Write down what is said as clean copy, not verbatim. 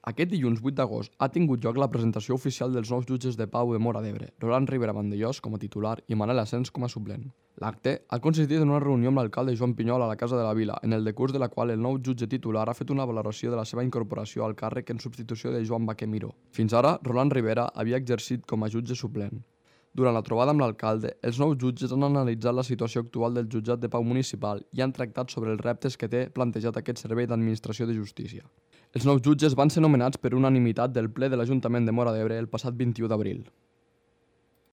Aquest dilluns 8 d'agost ha tingut lloc la presentació oficial dels nous jutges de pau de Móra d'Ebre, Roland Rivera Vandellós com a titular i Manel Asens com a suplent. L'acte ha consistit en una reunió amb l'alcalde Joan Pinyol a la Casa de la Vila, en el decurs de la qual el nou jutge titular ha fet una valoració de la seva incorporació al càrrec en substitució de Joan Baquer Miró. Fins ara, Roland Rivera havia exercit com a jutge suplent. Durant la trobada amb l'alcalde, els nous jutges han analitzat la situació actual del jutjat de pau municipal i han tractat sobre els reptes que té plantejat aquest servei d'administració de justícia. Els nous jutges van ser nomenats per unanimitat del ple de l'Ajuntament de Móra d'Ebre el passat 21 d'abril.